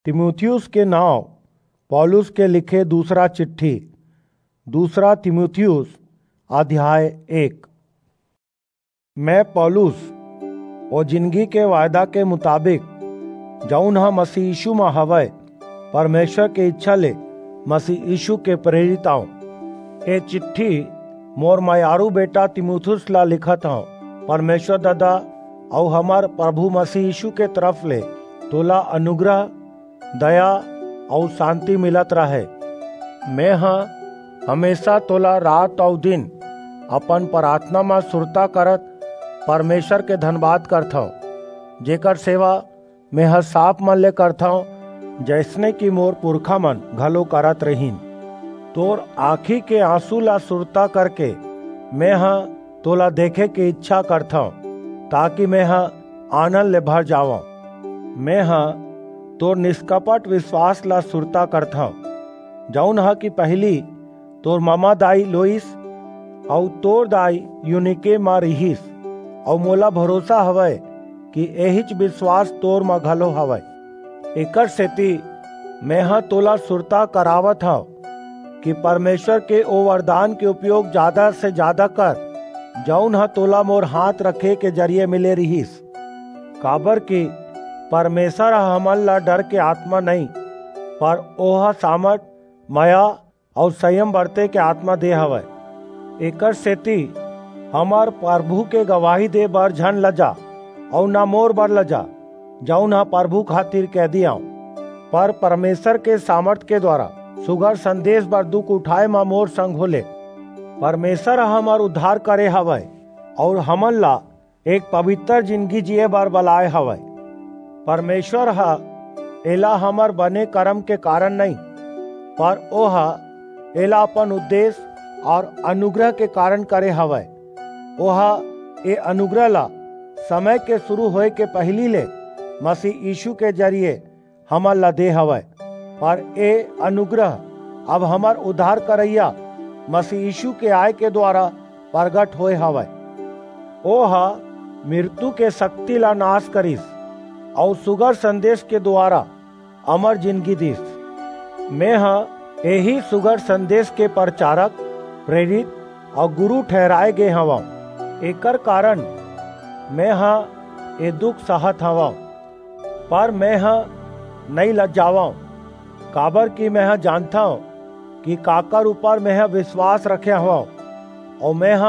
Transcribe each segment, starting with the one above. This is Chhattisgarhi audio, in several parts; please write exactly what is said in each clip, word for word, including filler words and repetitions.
तीमुथियुस के नांव पौलुस के लिखे दूसरा चिट्ठी। दूसरा तीमुथियुस, अध्याय एक। मैं पौलुस, ओ जिनगी के वायदा के मुताबिक, जऊन ह मसीह यीशु म हवय, परमेश्वर के इच्छा ले मसीह यीशु के प्रेरित आंव। ए चिट्ठी मोर मयारू बेटा तीमुथियुस ला लिखत हंव। परमेश्वर ददा अऊ हमर प्रभु मसीह यीशु के तरफ ले तोला अनुग्रह, दया अऊ शांति मिलत रहे। मेंह हमेशा तोला रात अऊ दिन अपन प्रार्थना म सुरता करत परमेश्वर के धन्यवाद करथंव, जेकर सेवा मेंह साफ मन ले करथंव, जइसने कि मोर पुरखा मन घलो करत रहिन। तोर आंखी के आंसू ला सुरता करके मेंह तोला देखे के इच्छा करथंव, ताकि मेंह आनंद ले भर जावंव। मेंह तोर निष्कपट विश्वास ला सुरता करथंव, जऊन ह कि पहिली तोर ममा दाई लोइस अऊ तोर दाई यूनिके म रिहिस, अऊ मोला भरोसा हवय कि एहिच विश्वास तोर म घलो हवय। एकर सेती मेंह तोला सुरता करावत हंव कि परमेश्वर के ओ वरदान के उपयोग जादा से जादा कर, जऊन ह तोला मोर हाथ रखे के जरिए मिले रिहिस। काबर कि परमेश्वर ह हमन ला डर के आत्मा नइं, पर ओह सामर्थ, मया अऊ संयम बरते के आत्मा दे हवय। एकर सेती हमर प्रभु के गवाही दे बर झन लजा, अऊ ना मोर बर लजा, जऊन ह प्रभु खातिर कैदी आंव, पर परमेश्वर के सामर्थ के द्वारा सुघर संदेश बर दुख उठाए म मोर संग होले। परमेश्वर ह हमर उद्धार करे हवय, अऊ हमन ला एक पवित्र जिनगी जिए बर बलाए हवय। परमेश्वर ह एला हमर बने करम के कारण नइं, पर ओह एला अपन उद्देश्य अऊ अनुग्रह के कारण करे हवय। ओह ए अनुग्रह ला समय के शुरू होए के पहिली ले मसीह यीशु के जरिए हमन ला दे हवय, पर ए अनुग्रह अब हमर उद्धार करइया मसीह यीशु के आय के द्वारा प्रगट होए हवय। ओह मृत्यु के शक्ति ला नाश करिस अऊ सुघर संदेश के द्वारा अमर जिनगी दिस। मेंह एही सुघर संदेश के प्रचारक, प्रेरित अऊ गुरु ठहराए गे हवंव। एकर कारण मेंह ए दुख सहत हवंव, पर मेंह नइं लजावंव, काबर कि मेंह जानथंव कि काकर ऊपर मेंह विश्वास रखे हवंव, अऊ मेंह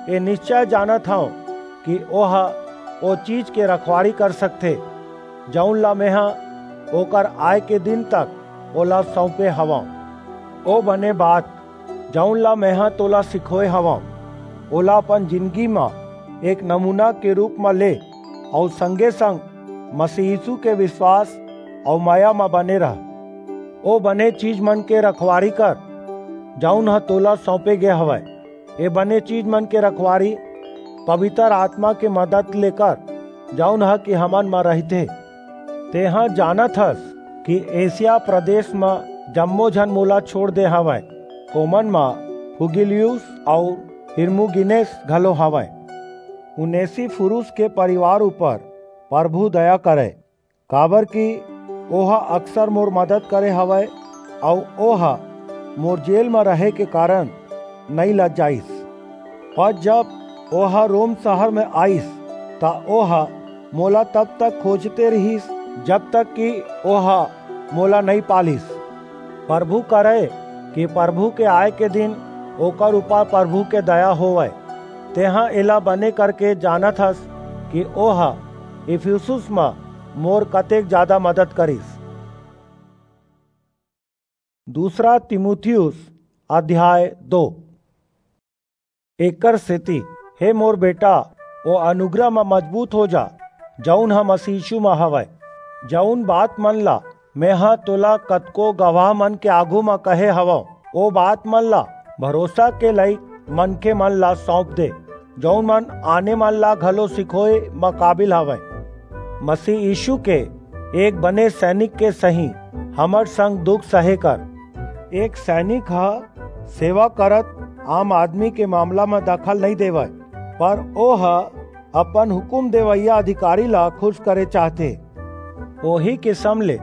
ए निश्चय जानत हंव कि ओह ओ चीज के रखवारी कर सकथे, जऊन ला मेंह ओकर आय के दिन तक ओला सऊंपे हवंव। ओ बने बात, जऊन ला मेंह तोला सिखोए हवंव, ओला अपन जिनगी म एक नमूना के रूप म ले, अऊ संगे-संग मसीह यीशु के विश्वास अऊ मया म बने रह। ओ बने चीज मन के रखवारी कर, जऊन ह तोला सऊंपे गे हवय। ए बने चीज मन के रखवारी पवित्र आत्मा के मदद ले कर, जऊन ह कि हमन म रहिथे। तेंह जानत हस कि एशिया प्रदेश म जम्मो झन मोला छोड़ दे हवंय। ओमन म फुगिलियुस अऊ हिरमुगिनेस घलो हवंय। उनेसिफुरुस के परिवार ऊपर प्रभु दया करय, काबर कि ओह अक्सर मोर मदद करे हवय, अऊ ओह मोर जेल म रहे के कारण नइं लजाइस। पर जब ओह रोम शहर म आईस, त ओह मोला तब तक खोजते रिहिस, जब तक कि ओह मोला नइं पा लिस। प्रभु करय कि प्रभु के आय के दिन ओकर ऊपर प्रभु के दया होवय। तेंह एला बने करके जानत हस कि ओह इफिसुस म मोर कतेक जादा मदद करिस। दूसरा तीमुथियुस अध्याय दो। एकर सेती, हे मोर बेटा, ओ अनुग्रह म मजबूत हो जा, जऊन ह मसीह यीशु म हवय। जऊन बात मन ला मेंह तोला कतको गवाह मन के आघू म कहे हवंव, ओ बात मन ला भरोसा के लइक मनखे मन ला सऊंप दे, जऊन मन आने मन ला घलो सिखोए म काबिल हवंय। मसीह यीशु के एक बने सैनिक के सहीं हमर संग दुख सहे कर। एक सैनिक ह सेवा करत आम आदमी के मामला म दखल नइं देवय, पर ओह अपन हुकूम देवइया अधिकारी ला खुश करे चाहथे। ओही किसम ले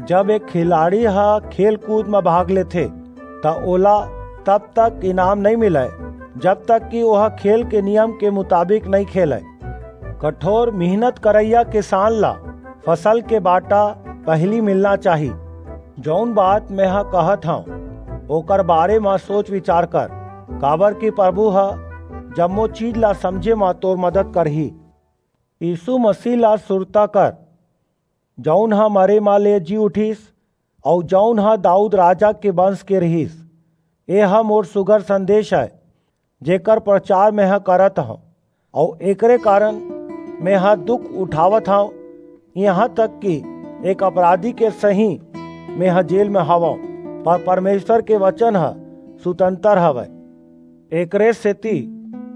जब एक खिलाड़ी ह खेल कूद म भाग लेथे, त ओला तब तक इनाम नइ मिलय, जब तक कि ओह खेल के नियम के मुताबिक नइ खेलय। कठोर मेहनत करइया किसान ला फसल के बाटा पहिली मिलना चाही। जौन बात मेंह कहत हंव, ओकर बारे म सोच विचार कर, काबर कि प्रभु ह जम्मो चीज ला समझे म तोर मदद करही। यीशु मसीह ला सुरता कर, जौन ह मरे म ले जी उठिस, अऊ जौन ह दाऊद राजा के वंश के रिहिस। ए ह मोर सुघर संदेश अय, जेकर प्रचार मेंह करत हंव, अऊ एकरे कारण मेंह दुख उठावत हंव, इहां तक कि एक अपराधी के सहीं मेंह जेल म हवंव, पर परमेश्वर के वचन ह सुतंतर हवय। एकरे सेति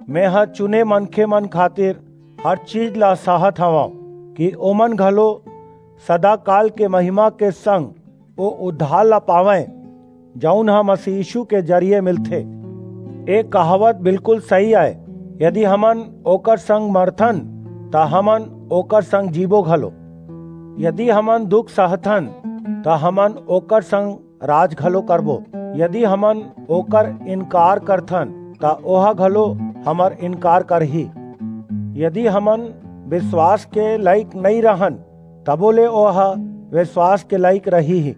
मेंह चुने मनखे मन खातिर हर चीज ला सहत हवंव, कि ओमन घलो सदाकाल के महिमा के संग ओ उद्धार ला पावंय, जऊन ह मसीह यीशु के जरिए मिलथे। ए कहावत बिल्कुल सही आय, यदि हमन ओकर संग मरथन, त हमन ओकर संग जीबो घलो। यदि हमन दुख सहथन, त हमन ओकर संग राज घलो करबो। यदि हमन ओकर इनकार करथन, त ओह घलो हमर इनकार करही। यदि हमन विश्वास के लायक नइं रहन, तबो ले ओह विश्वास के लायक रहिही,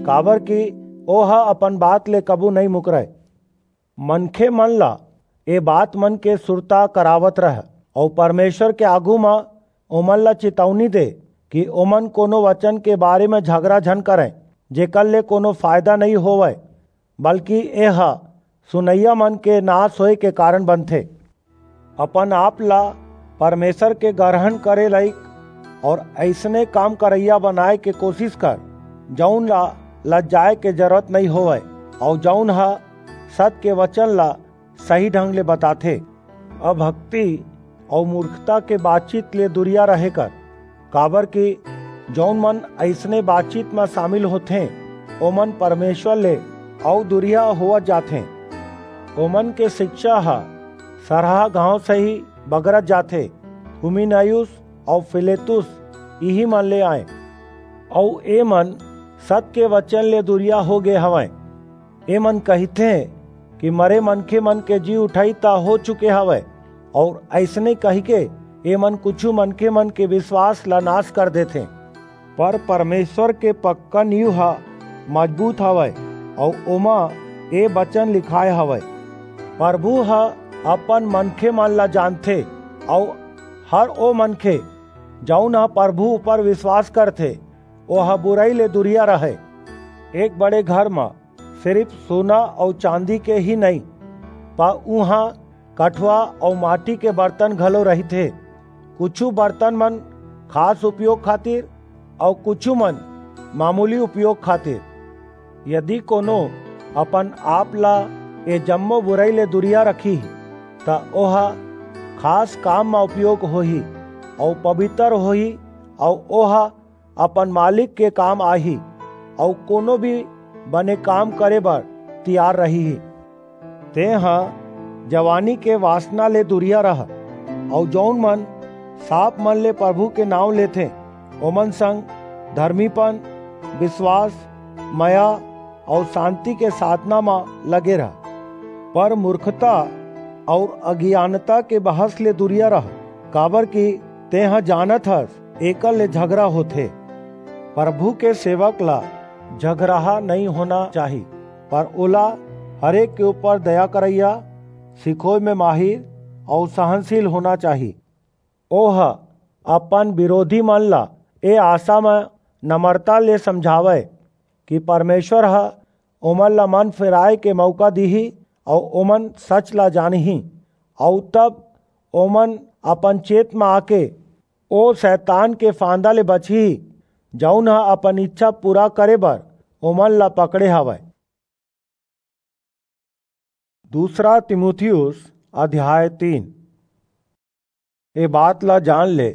काबर कि ओह अपन बात ले कभू नइं मुकरय। मनखे मन ला ए बात मन के सुरता करावत रह, अऊ परमेश्वर के आगू म ओमन ला चेतौनी दे कि ओमन कोनो वचन के बारे म झगरा झन करंय, जेकर ले कोनो फायदा नइं होवय, बल्कि एह सुनइया मन के नाश होय के कारण बनथे। अपन आप ला परमेश्वर के ग्रहण करे लायक अऊ अइसने काम करइया बनाय के कोशिश कर, जऊन ला लज्जाय के जरूरत नइं होवय, अऊ जऊन ह सत के वचन ला सही ढंग ले बताथे। अभक्ति अऊ मूर्खता के बातचीत ले दुरिया रहे कर, काबर कि जऊन मन अइसने बातचीत म शामिल होथें, ओमन परमेश्वर ले अऊ दुरिया होवत जाथें। ओमन के शिक्षा ह सरहा घांव सही बगरत जाथे। हुमिनयुस अऊ फिलेतुस इही मन ले आंय, अऊ ए मन सत के वचन ले दुरिया हो गे हवंय। ए मन कहिथें कि मरे मनखे मन के जी उठई त हो चुके हवय, अऊ अइसने कहिके ए मन कुछू मनखे मन के विश्वास ला नाश कर देथें। पर परमेश्वर के पक्का नींव ह मजबूत हवय, अऊ ओमा ए बचन लिखाय हवय, "प्रभु ह अपन मनखे मन ला जानथे, अऊ हर ओ मनखे, जऊन ह प्रभु ऊपर विश्वास करथे, ओह बुरई ले दुरिया रहय।" एक बड़े घर म सिरिफ सोना अऊ चांदी के ही नइं, पर उहां कठवा अऊ माटी के बर्तन घलो रहिथे। कुछू बर्तन मन खास उपयोग खातिर अऊ कुछू मन मामूली उपयोग खातिर। यदि कोनो अपन आप ला ए जम्मो बुरई ले दुरिया रखही, त ओह खास काम म उपयोग होही अऊ पवित्र होही, अऊ ओह अपन मालिक के काम आही, अऊ कोनो भी बने काम करे बर तियार रहिही। तेंह जवानी के वासना ले दुरिया रह, अऊ जऊन मन साफ मन ले प्रभु के नांव लेथें, ओमन संग धर्मीपन, विश्वास, मया अऊ शांति के साधना म लगे रह। पर मूर्खता अऊ अज्ञानता के बहस ले दुरिया रह, काबर कि तेंह जानत हस, एकर ले झगरा होथे। प्रभु के सेवक ला झगराहा नइं होना चाही, पर ओला हरेक के ऊपर दया करइया, सिखोय म माहिर अऊ सहनशील होना चाही। ओह अपन बिरोधी मन ला ए आसा म नम्रता ले समझावय कि परमेश्वर ह ओमन ला मन फिराय के मऊका दिही अऊ ओमन सच ला जानही, अऊ तब ओमन अपन चेत म आके ओ सैतान के फांदा ले बचही, जऊन ह अपन इच्छा पूरा करे बर ओमन ला पकड़े हवय। दूसरा तीमुथियुस अध्याय तीन। ए बात ला जान ले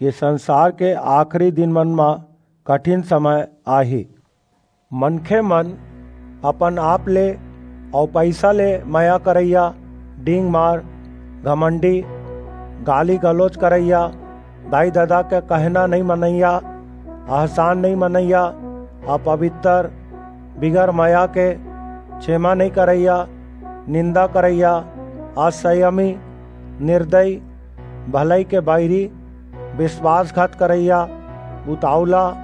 कि संसार के आखिरी दिन मन म कठिन समय आही। मनखे मन अपन आप ले अऊ पइसा ले मया करइया, डींग मार, घमंडी, गाली गलौज करइया, दाई ददा के कहना नइं मनइया, अहसान नइं मनइया, अपवित्र, बिगर मया के, छेमा नइ करइया, निंदा करइया, असंयमी, निर्दयी, भलई के बैरी, विश्वासघात करइया, उतावला,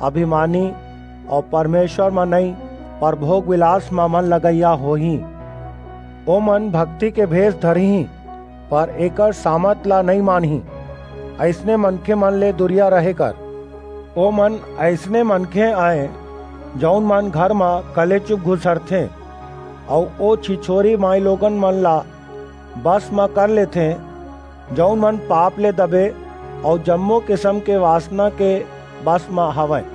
अभिमानी, अऊ परमेश्वर म नइं, पर भोग विलास म मन लगइया होही। ओमन भक्ति के भेष धरहीं, पर एकर सामत ला नइं मानहीं। अइसने मनखे मन ले दूरिया रहे कर। ओमन अइसने मनखे अंय, जऊन मन घर म कलेचुप घुसरथें, अऊ ओ छिछोरी माईलोगन मन ला बस म कर लेथें, जऊन मन पाप ले दबे अऊ जम्मो किसम के वासना के बस म हवंय।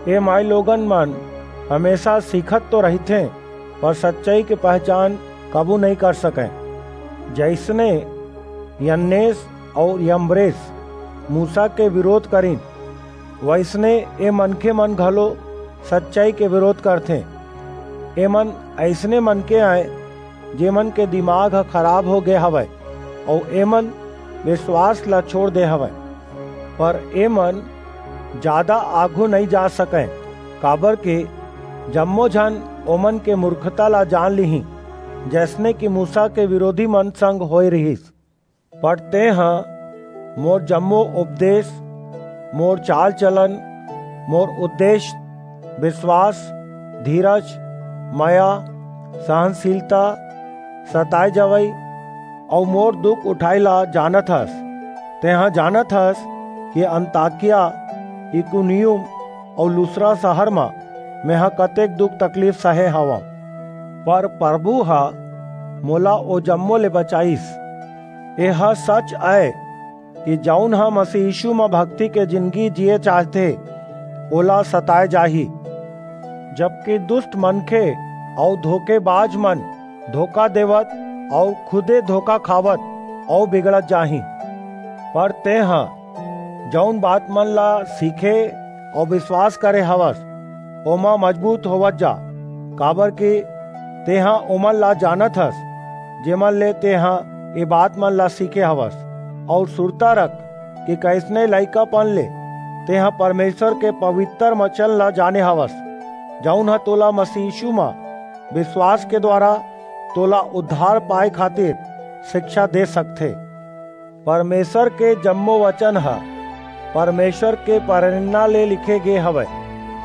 ए माईलोगन मन हमेसा सीखत तो रहिथें, पर सच्चई के पहचान कभू नइं कर सकंय। जइसने यन्नेस अऊ यम्ब्रेस मूसा के बिरोध करिन, वइसने ए मनखे मन घलो सच्चई के बिरोध करथें। एमन अइसने मनखे अंय, जेमन के दिमाग ह खराब हो गे हवय, अऊ एमन विश्वास ला छोंड़ दे हवंय। पर एमन जादा आघू नइं जा सकंय, काबरकि जम्मो झन ओमन के मूरखता ला जान लिहीं, जइसने कि मूसा के बिरोधी मन संग होय रिहिस। पर तेंह मोर जम्मो उपदेस, मोर चाल-चलन, मोर उद्देस, बिसवास, धीरज, मया, सहनसीलता, सताय जवई अऊ मोर दुख उठाय ला जानत हस। तेंह जानत हस कि अंताकिया, इकुनियुम अऊ लुस्रा सहर म मेंह कतेक दुख-तकलीफ सहे हवंव, पर परभू ह मोला ओ जम्मो ले बचाईस। एह सच अय कि जऊन ह मसीह यीसू म भक्ति के जिनगी जिये चाहथे, ओला सताय जाही, जबकि दुस्ट मनखे अऊ धोखेबाज मन धोखा देवत अऊ खुदे धोखा खावत अऊ बिगड़त जाहीं। पर तेंह जऊन बात मन ला सीखे अऊ बिसवास करे हवस, ओमा मजबूत होवत जा, काबरकि तेंह ओमन ला जानत हस, जेमन ले तेंह ए बात मन ला सीखे हवस, अऊ सुरता रख कि कइसने लइकापन ले तेंह परमेसर के पबितर बचन ला जाने हवस, जऊन ह तोला मसीह यीसू म बिसवास के दुवारा तोला उद्धार पाय खातिर सिकछा दे सकथे। परमेसर के जम्मो बचन ह परमेसर के परेरना ले लिखे गे हवय,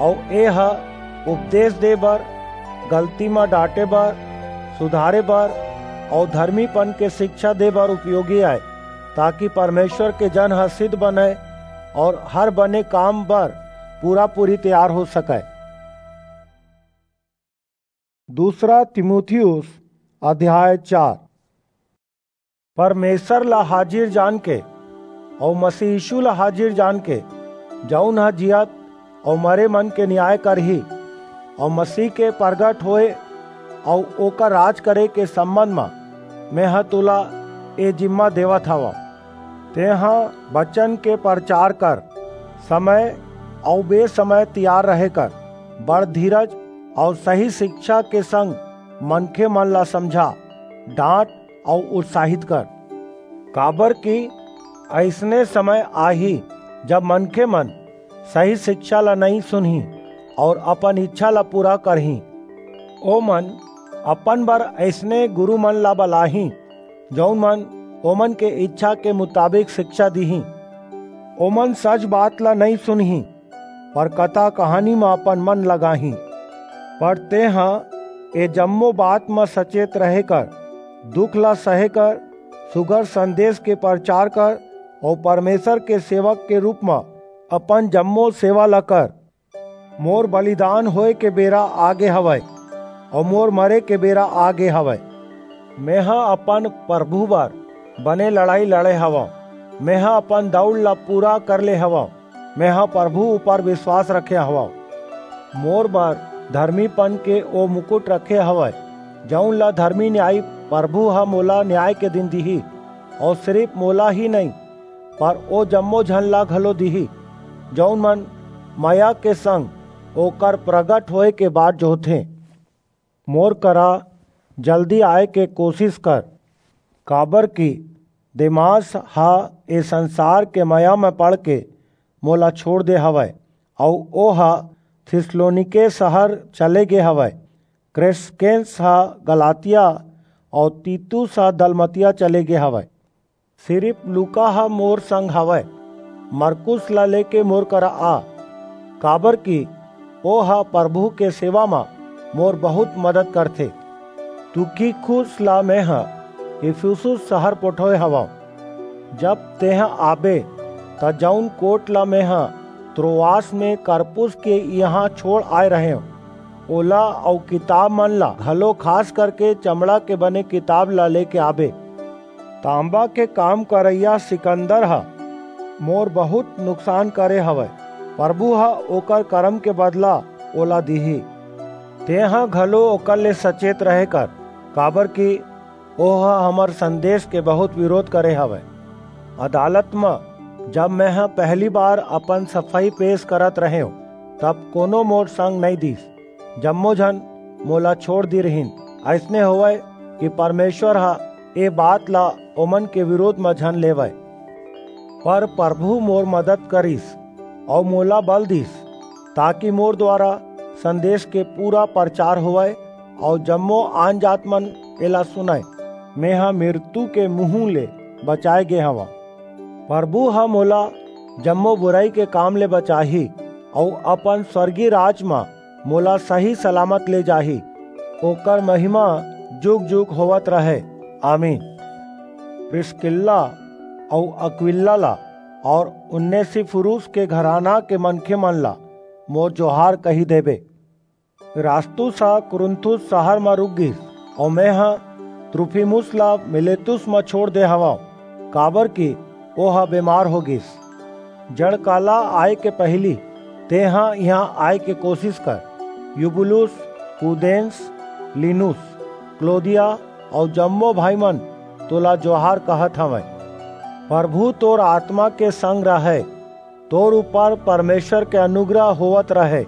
अऊ एह उपदेस दे बर, गलती म डांटे बर, सुधारे बर अऊ धरमीपन के सिकछा दे बर उपयोगी अय, ताकि परमेसर के जन ह सिद्ध बनय अऊ हर बने काम बर पूरा-पूरी तियार हो सकय। दूसरा तीमुथियुस अध्याय चार। परमेसर ला हाजिर जानके अऊ मसीह यीसू ला हाजिर जानके, जऊन ह जियत अऊ मरे मन के नियाय करही, अऊ मसीह के परगट होय अऊ ओकर राज करे के संबंध म मेंह तोला ए जिम्मा देवत हवंव। तेंह बचन के परचार कर, समय अऊ बेसमय तियार रहे कर, बड़ धीरज अऊ सही सिकछा के संग मनखे मन ला समझा, डांट अऊ उत्साहित कर। काबरकि अइसने समय आही, जब मनखे मन सही सिकछा ला नइं सुनहीं अऊ अपन इच्छा ला पूरा करहीं। ओमन अपन बर अइसने गुरू मन ला बलाहीं, जऊन मन ओमन के इच्छा के मुताबिक सिकछा दिहीं। ओमन सच बात ला नइं सुनहीं, पर कथा-कहानी म अपन मन लगाहीं। पर तेंह ए जम्मो बात म सचेत रहे कर, दुख ला सहे कर, सुघर संदेस के परचार कर अऊ परमेसर के सेवक के रूप म अपन जम्मो सेवा ला कर। मोर बलिदान होय के बेरा आगे हवय, अऊ मोर मरे के बेरा आगे हवय। मेंह अपन परभू बर बने लड़ई लड़े हवंव। मेंह अपन दऊड़ ला पूरा कर ले हवंव। मेंह परभू ऊपर बिसवास रखे हवंव। मोर बर धरमीपन के ओ मुकुट रखे हवय, जऊन ला धरमी नियायी परभू ह मोला नियाय के दिन दिही, अऊ सिरिप मोला ही नइं, पर ओ जम्मो झन ला घलो दिही, जऊन मन मया के संग ओकर परगट होय के बाट जोहथें। मोर करा जल्दी आय के कोसिस कर, काबरकि देमास ह ए संसार के मया म पड़के मोला छोंड़ दे हवय, अऊ ओह थिस्सलुनीके सहर चले गे हवय। क्रेसकेंस ह गलातिया अऊ तीतुस ह दलमतिया चले गे हवय। सिरिप लूका ह मोर संग हवय। मरकुस ला लेके मोर करा आ, काबरकि ओह परभू के सेवा म मोर बहुंत मदद करथे। तुखिकुस ला मेंह इफिसुस सहर पठोय हवंव। जब तेंह आबे, त जऊन कोट ला मेंह त्रोआस म करपुस के इहां छोंड़ आय रहेंव, ओला अऊ किताबमन ला घलो, खास करके चमड़ा के बने किताब ला लेके आबे। तांबा के काम करइया सिकंदर ह मोर बहुंत नुकसान करे हवय। परभू ह ओकर करम के बदला ओला दिही। तेंह घलो ओकर ले सचेत रहे कर, काबरकि ओह हमर संदेस के बहुंत बिरोध करे हवय। अदालत म जब मेंह पहिली बार अपन सफई पेस करत रहेंव, तब कोनो मोर संग नइं दिस। जम्मो झन मोला छोंड़ दे रिहिन। अइसने होवय कि परमेसर ह ए बात ला ओमन के बिरोध म झन लेवय। पर परभू मोर मदद करिस अऊ मोला बल दिस, ताकि मोर दुवारा संदेस के पूरा परचार होवय अऊ जम्मो आनजातमन एला सुनंय। मेंह मिरतू के मुहूं ले बचाय गे हवंव। परभू ह मोला जम्मो बुरई के काम ले बचाही अऊ अपन स्वर्गीय राज म मोला सही सलामत ले जाही। ओकर महिमा जुग-जुग होवत रहय। आमीन। प्रिसकिल्ला अऊ अक्विला ला अऊ उनेसिफुरुस के घराना के मनखेमन ला मोर जोहार कहि देबे। इरास्तुस ह कुरिन्थुस सहर म रूक गिस, अऊ मेंह त्रुफिमुस ला मीलेतुस म छोंड़ दे हवंव, काबरकि ओह बेमार हो गिस। जंड़काला आय के पहिली तेंह इहां आय के कोसिस कर। यूबुलुस, पुदेंस, लीनुस, क्लौदिया अऊ जम्मो भाईमन तोला जोहार कहत हवंय। परभू तोर आतमा के संग रहय। तोर ऊपर परमेसर के अनुग्रह होवत रहय।